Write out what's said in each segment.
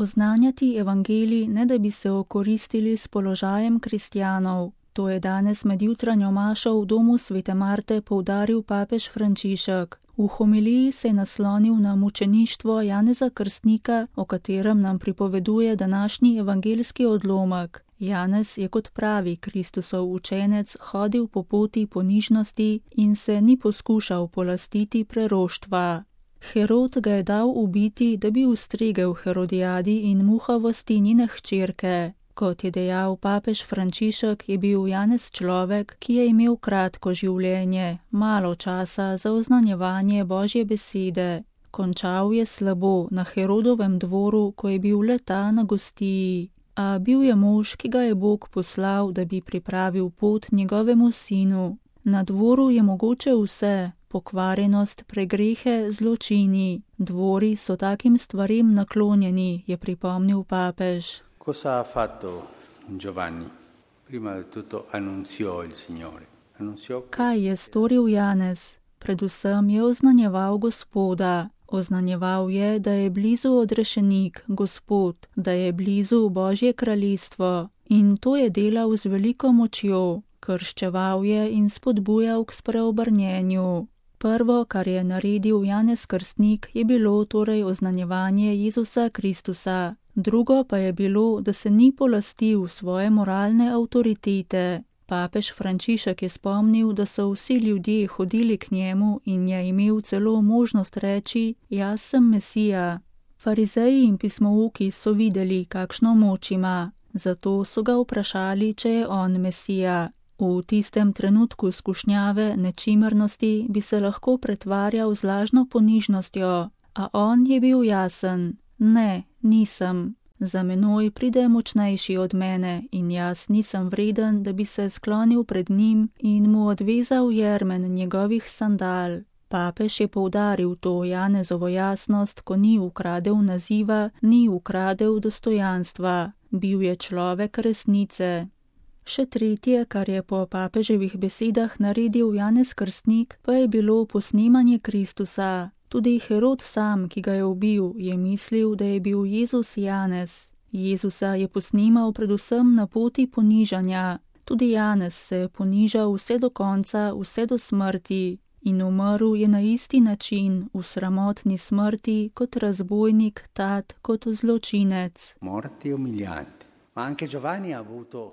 Oznanjati evangelij, ne da bi se okoristili s položajem kristjanov. To je danes med jutranjo mašo v domu Svete Marte poudaril papež Frančišek. V homiliji se je naslonil na mučeništvo Janeza Krstnika, o katerem nam pripoveduje današnji evangeljski odlomek. Janez je kot pravi Kristusov učenec hodil po poti ponižnosti in se ni poskušal polastiti preroštva. Herod ga je dal ubiti, da bi ustregel Herodijadi in muhavosti njene hčerke. Kot je dejal papež Frančišek, je bil Janez človek, ki je imel kratko življenje, malo časa za oznanjevanje Božje besede. Končal je slabo na Herodovem dvoru, ko je bil le ta na gostiji. A bil je mož, ki ga je Bog poslal, da bi pripravil pot njegovemu sinu. Na dvoru je mogoče vse, pokvarjenost, pregrehe, zločini. Dvori so takim stvarem naklonjeni, je pripomnil papež. Cosa ha fatto Giovanni? Prima di tutto annunziò il Signore. Kaj je storil Janez? Predvsem je oznanjeval Gospoda. Oznanjeval je, da je blizu odrešenik, Gospod, da je blizu Božje kraljestvo. In to je delal z veliko močjo. Krščeval je in spodbujal k spreobrnjenju. Prvo, kar je naredil Janez Krstnik, je bilo torej oznanjevanje Jezusa Kristusa. Drugo pa je bilo, da se ni polastil svoje moralne avtoritete. Papež Frančišek je spomnil, da so vsi ljudje hodili k njemu in je imel celo možnost reči: jaz sem Mesija. Farizeji in pismouki so videli, kakšno moč ima, zato so ga vprašali, če je on Mesija. V tistem trenutku skušnjave, nečimrnosti bi se lahko pretvarjal z lažno ponižnostjo, a on je bil jasen: ne, nisem. Za menoj pride močnejši od mene in jaz nisem vreden, da bi se sklonil pred njim in mu odvezal jermen njegovih sandal. Papež je poudaril to Janezovo jasnost, ko ni ukradel naziva, ni ukradel dostojanstva. Bil je človek resnice. Še tretje, kar je po papeževih besedah naredil Janez Krstnik, pa je bilo posnemanje Kristusa. Tudi Herod sam, ki ga je ubil, je mislil, da je bil Jezus Janez. Jezusa je posnemal predvsem na poti ponižanja. Tudi Janez se je ponižal vse do konca, vse do smrti. In umrl je na isti način, v sramotni smrti, kot razbojnik, tat, kot zločinec. Morti umilianti.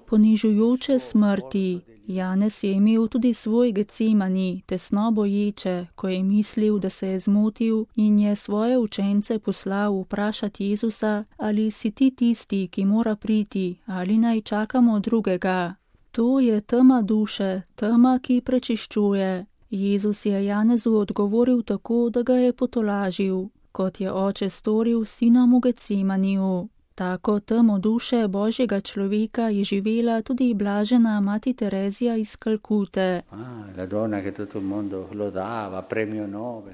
Ponižujoče smrti. Janez je imel tudi svoj Getsemani, tesno boječe, ko je mislil, da se je zmotil in je svoje učence poslal vprašati Jezusa, ali si ti tisti, ki mora priti, ali naj čakamo drugega. To je tema duše, tema, ki prečiščuje. Jezus je Janezu odgovoril tako, da ga je potolažil, kot je oče storil sinom v Getsemaniju. Tako temo duše Božjega človeka je živela tudi blažena mati Terezija iz Kalkute.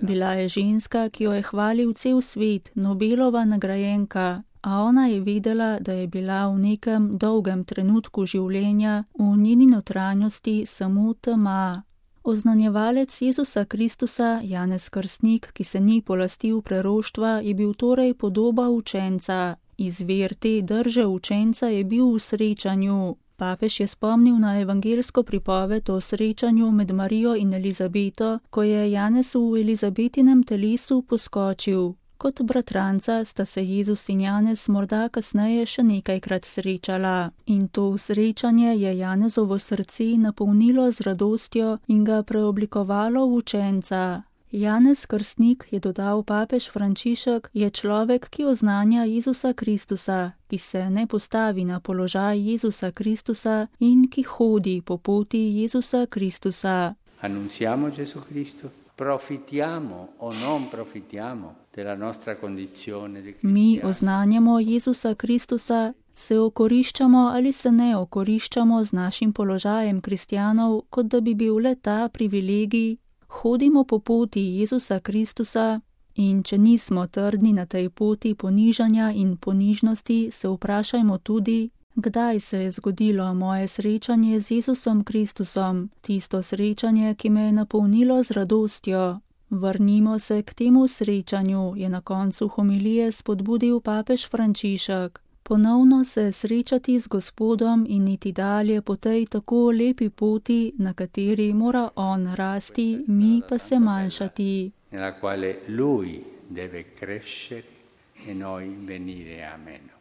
Bila je ženska, ki jo je hvalil cel svet, Nobelova nagrajenka, a ona je vedela, da je bila v nekem dolgem trenutku življenja v njeni notranjosti samo tema. Oznanjevalec Jezusa Kristusa, Janez Krstnik, ki se ni polastil preroštva, je bil torej podoba učenca. Izvir te drže učenca je bil v srečanju. Papež je spomnil na evangeljsko pripoved o srečanju med Marijo in Elizabeto, ko je Janez v Elizabetinem telesu poskočil. Kot bratranca sta se Jezus in Janez morda kasneje še nekajkrat srečala. In to srečanje je Janezovo srce napolnilo z radostjo in ga preoblikovalo v učenca. Janez Krstnik, je dodal papež Frančišek, je človek, ki oznanja Jezusa Kristusa, ki se ne postavi na položaj Jezusa Kristusa in ki hodi po poti Jezusa Kristusa. Annunziamo Gesù Cristo. Profitiamo o non profitiamo della nostra condizione di cristiani. Mi oznanjamo Jezusa Kristusa, se okoriščamo ali se ne okoriščamo z našim položajem kristjanov, kot da bi bil le ta privilegij. Hodimo po poti Jezusa Kristusa in če nismo trdni na tej poti ponižanja in ponižnosti, se vprašajmo tudi, kdaj se je zgodilo moje srečanje z Jezusom Kristusom, tisto srečanje, ki me je napolnilo z radostjo. Vrnimo se k temu srečanju, je na koncu homilije spodbudil papež Frančišek. Ponovno se srečati z Gospodom in iti dalje po tej tako lepi poti, na kateri mora on rasti, mi pa se manjšati. Nella quale lui deve crescere e noi venire a meno.